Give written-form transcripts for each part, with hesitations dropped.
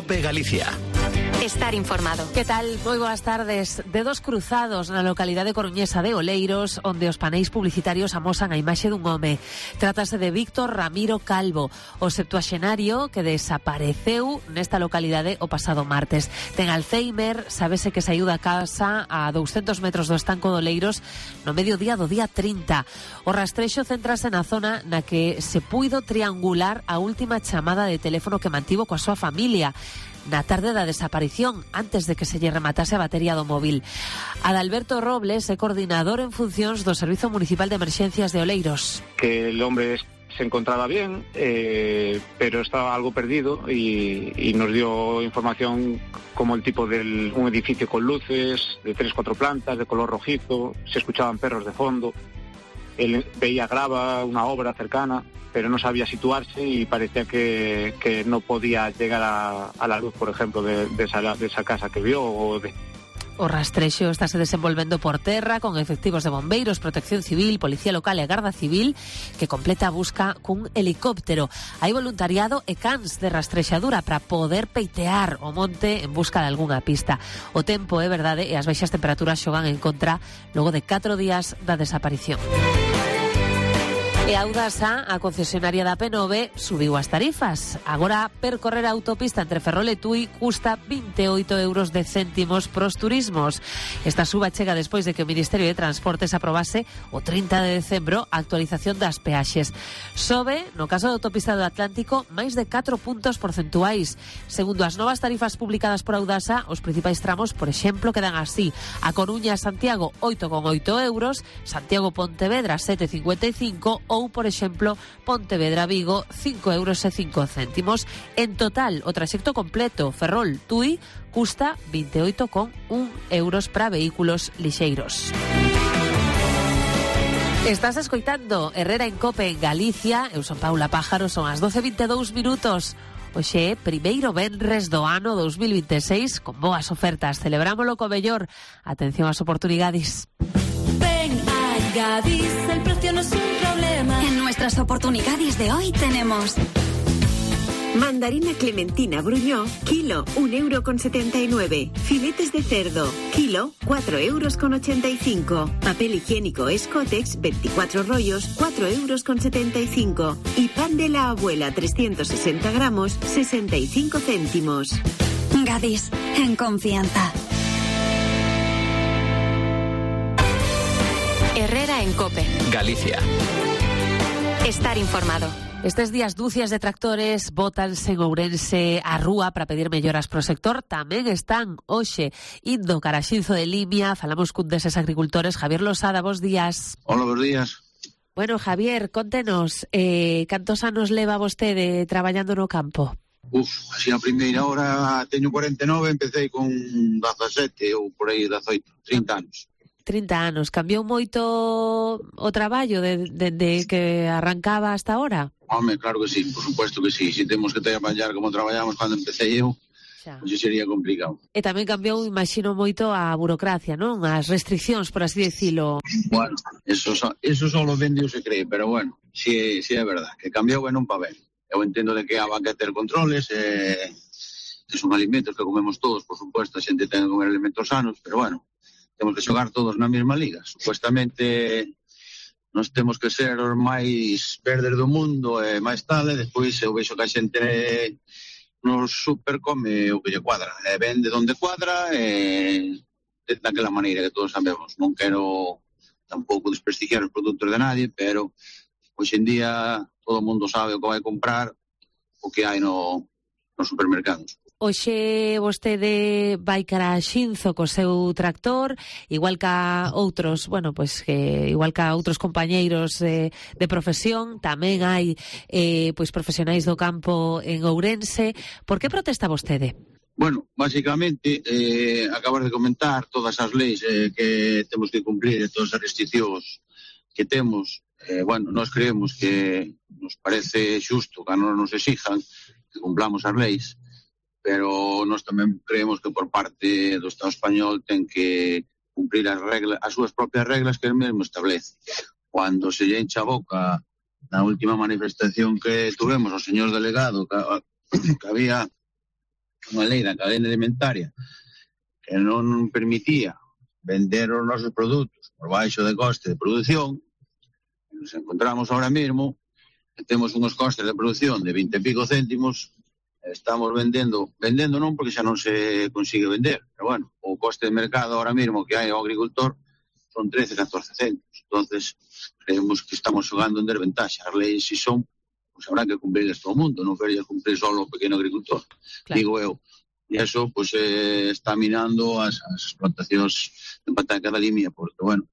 COPE Galicia. Estar informado. Que tal? Moi boas tardes. Dedos cruzados na localidade coruñesa de Oleiros, onde os paneis publicitarios amosan a imaxe dun home. Trátase de Víctor Ramiro Calvo, o septuaxenario que desapareceu nesta localidade o pasado martes. Ten Alzheimer, sábese que saiu da casa a 200 metros do estanco de Oleiros no mediodía do día 30. O rastrexo centrase na zona na que se puido triangular a última chamada de teléfono que mantivo coa súa familia na tarde da desaparición, antes de que se lle rematase a batería do móvil. Adalberto Robles é coordinador en funcións do Servizo Municipal de Emerxencias de Oleiros. Que el hombre se encontraba bien, pero estaba algo perdido y nos dio información como el tipo de un edificio con luces, de 3-4 plantas, de color rojizo, se escuchaban perros de fondo, él veía grava, una obra cercana, pero no sabía situarse y parecía que no podía llegar a la luz, por ejemplo, de esa casa que vio. O rastrexo estáse desenvolvendo por terra con efectivos de bombeiros, protección civil, policía local e garda civil que completa a busca cun helicóptero. Hai voluntariado e cans de rastrexadura para poder peitear o monte en busca de algunha pista. O tempo é verdade e as baixas temperaturas xogan en contra logo de 4 días da desaparición. E a Audasa, a concesionaria da P9, subiu as tarifas. Agora, percorrer a autopista entre Ferrol e Tui custa 28 euros de céntimos pros turismos. Esta suba chega despois de que o Ministerio de Transportes aprobase o 30 de decembro a actualización das peaxes. Sobe, no caso da autopista do Atlántico, máis de 4 puntos porcentuais. Segundo as novas tarifas publicadas por Audasa, os principais tramos, por exemplo, quedan así: A Coruña a Santiago 8,8 euros, Santiago Pontevedra 7,55 ou, por exemplo, Pontevedra-Vigo 5,05 euros. En total, o traxecto completo Ferrol-Tui custa 28,1 euros para vehículos lixeiros. Estás escoitando Herrera en Cope en Galicia. Eu son Paula Pájaro, son as 12:22 minutos. Oxe, primeiro venres do ano 2026 con boas ofertas. Celebrámoslo co mellor. Atención ás oportunidades. Ven a Gadis, el precio no es un problema. En nuestras oportunidades de hoy tenemos mandarina clementina Bruñó, kilo 1,79 €. Filetes de cerdo, kilo 4,85 €. Papel higiénico Escotex 24 rollos, 4,75 €. Y pan de la abuela 360 gramos, 65 céntimos. Gadis, en confianza. Herrera en Cope Galicia. Estar informado. Estes días dúcias de tractores bótanse en Ourense á rúa para pedir melloras pro sector. Tamén están hoxe indo cara a Xinzo de Limia. Falamos cun deses agricultores. Javier Losada, bos días. Hola, bos días. Bueno, Javier, contenos, cantos anos leva vostede traballando no campo? Así a primeira hora teño 49, empecé con 17 ou por aí 18, 30 anos. 30 anos. Cambiou moito o traballo desde que arrancaba hasta ahora? Home, claro que sí, por supuesto que sí. Si temos que traballar como traballamos cando empecé eu, pois sería complicado. E tamén cambiou, imagino, moito a burocracia, non? As restriccións, por así decirlo. Bueno, eso solo vende o se cree, pero bueno, si é verdad, que cambiou e non pa ben. Eu entendo de que haban que ter controles, que son alimentos que comemos todos, por supuesto, a xente ten que comer alimentos sanos, pero bueno, temos que xogar todos na mesma liga. Supuestamente nós temos que ser os máis verdes do mundo e máis tal, e despois eu vexo que a xente nos super come o que lle cuadra, e vende donde cuadra e daquela maneira que todos sabemos. Non quero tampouco desprestigiar os produtos de nadie, pero hoxe en día todo o mundo sabe o que vai comprar, o que hai nos supermercados. Hoxe vostede vai cara a Xinzo co seu tractor, igual ca outros, igual ca outros compañeiros de profesión, tamén hai profesionais do campo en Ourense. Por que protesta vostede? Bueno, básicamente, acabas de comentar todas as leis que temos que cumprir e todas as restriccións que temos. Nós creemos que nos parece xusto que nos exijan que cumplamos as leis, pero nós tamén creemos que por parte do Estado español ten que cumprir as súas propias reglas que el mesmo establece. Cando se lle encha a boca na última manifestación que tuvemos o señor delegado que unha lei da cadena alimentaria que non permitía vender os nosos produtos por baixo de coste de produción, nos encontramos ahora mesmo que temos uns costes de produción de 20 e pico céntimos, estamos vendendo non porque xa non se consigue vender, pero bueno, o coste de mercado ahora mesmo que hai ao agricultor son 13, 14 céntimos. Entonces, creemos que estamos xogando en desventaxa. As leis si son, pues habrá que cumplirles todo o mundo, non quería cumplir solo o pequeno agricultor, claro. Digo eu. E eso, pues, está minando as explotacións de pataca da limia, porque, bueno,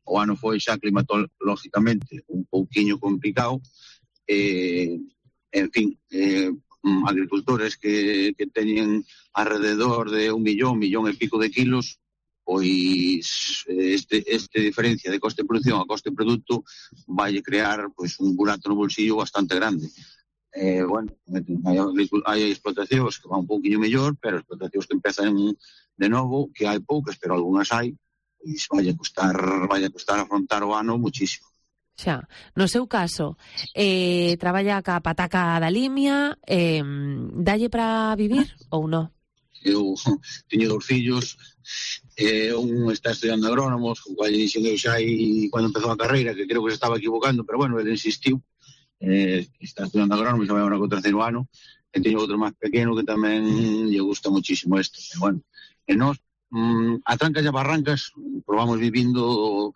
o ano foi xa climatológicamente un pouquiño complicado, en fin, agricultores que teñen alrededor de 1 millón e pico de kilos, pois este diferencia de coste de produción a coste de produto vai crear pois un burato no bolsillo bastante grande. Bueno, hai explotacións que van un pouquinho mellor, pero explotacións que empezan de novo, que hai poucas, pero algunhas hai, pois vai a costar afrontar o ano muchísimo. Xa, no seu caso, traballa ca pataca da limia, dalle para vivir ou non? Eu teño 2 fillos, un está estudiando agrónomos, con cual dixen eu xa aí cando empezou a carreira, que creo que se estaba equivocando, pero bueno, ele insistiu, está estudiando agrónomos, xa vai agora co 3º ano, e teño outro máis pequeno que tamén lle gusta muchísimo isto. E bueno, e nós, a trancas e a barrancas, probamos vivindo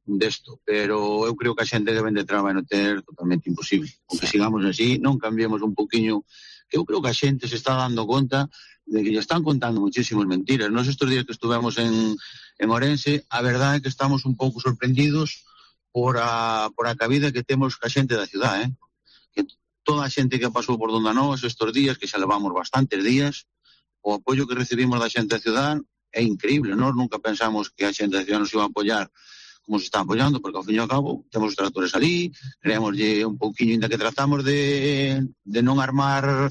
desto, pero eu creo que a xente que vende traba no ter totalmente imposible. Porque sigamos así, non cambiemos un poquinho, que eu creo que a xente se está dando conta de que lle están contando muchísimas mentiras. Nos estes días que estuvemos en Orense, a verdade é que estamos un pouco sorprendidos por a cabida que temos ca xente da ciudad, que toda a xente que pasou por donde nós estes días, que xa levamos bastantes días, o apoio que recibimos da xente da ciudad é increíble. Nós nunca pensamos que a xente da ciudad nos iba a apoiar como se está apoiando, porque ao fin e ao cabo temos os tratores ali, creémoslle un pouquinho, ainda que tratamos de non armar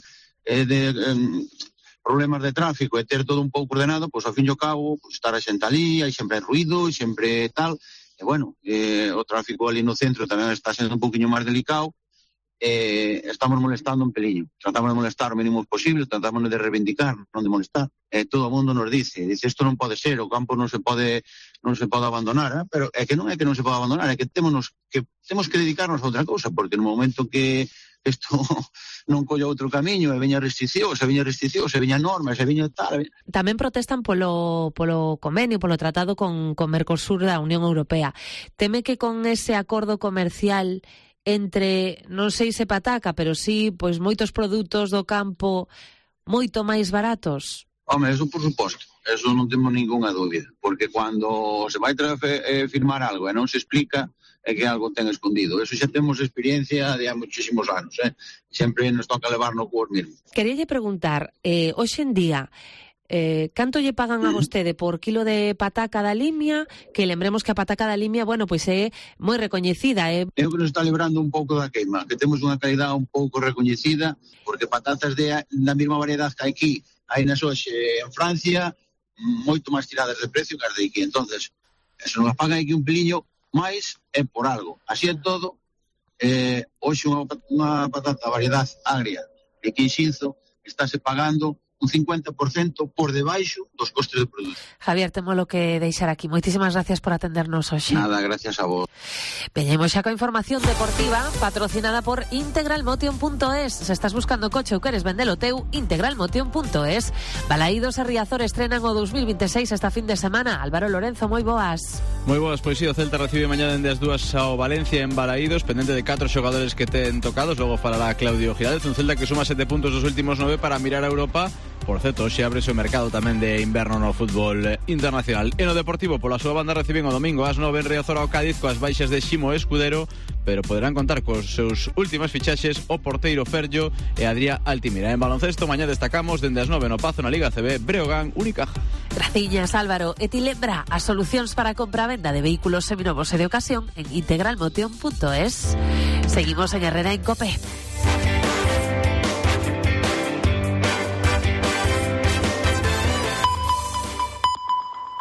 problemas de tráfico e ter todo un pouco ordenado, pois ao fin e ao cabo estar a xente ali, hai sempre ruido, sempre tal, e bueno, o tráfico ali no centro tamén está sendo un pouquinho máis delicado, estamos molestando un peliño, tratamos de molestar o mínimo posible, tratamos de reivindicar, non de molestar, todo o mundo nos dice isto non pode ser, o campo non se pode abandonar, pero é que non é que non se pode abandonar, é que temos que dedicarnos a outra cousa, porque no momento que isto non colla outro camiño, e veña restriccións, e veña normas, e veña tal. Tamén protestan polo convenio, polo tratado con Mercosur da Unión Europea. Teme que con ese acordo comercial entre, non sei se pataca, pero sí, pois moitos produtos do campo moito máis baratos? Home, eso por suposto, eso non temos ninguna dúbida, porque cando se vai firmar algo e non se explica, é que algo ten escondido. Eso xa temos experiencia de há muchísimos anos, sempre nos toca levar no cuor mesmo. Queríalle preguntar, hoxe en día, canto lle pagan a vostede por kilo de pataca da limia, que lembremos que a pataca da limia, bueno, pois é moi recoñecida. Eu que nos está librando un pouco da queima, que temos unha calidad un pouco recoñecida, porque patatas da mesma variedade que aquí, hai nas hoxe en Francia, moito máis tiradas de precio que as de aquí. Entonces, se nos pagan aquí un peliño máis, é por algo. Así é todo, hoxe unha patata variedade agria de Quinxinzo estáse pagando un 50% por debaixo dos costes de produto. Javier, temos lo que deixar aquí. Moitísimas gracias por atendernos hoxe. Nada, gracias a vos. Veñemos xa coa información deportiva patrocinada por integralmotion.es. Se estás buscando coche ou queres vendelo teu, integralmotion.es. Balaídos e Riazor estrenan o 2026 esta fin de semana. Álvaro Lorenzo, moi boas. Moi boas, pois si, o Celta recibe mañá dende as 2 ao Valencia en Balaídos, pendente de 4 xogadores que ten tocados. Logo falará Claudio Giraldez, un Celta que suma 7 puntos dos últimos 9 para mirar a Europa. Por certo, hoxe abre o mercado tamén de inverno no fútbol internacional. E no Deportivo, pola súa banda, reciben o domingo ás 9 en Riazor ao Cádiz coas baixas de Ximo Escudero, pero poderán contar cos seus últimas fichaxes o porteiro Ferllo e Adrià Altimira. En baloncesto, mañá destacamos dende as 9 no Pazo na Liga CB, Breogán, Unicaja. Graciñas, Álvaro. E ti lembra as solucións para a compra-venda de vehículos seminovos e de ocasión en integralmotion.es. Seguimos en Herrera en COPE.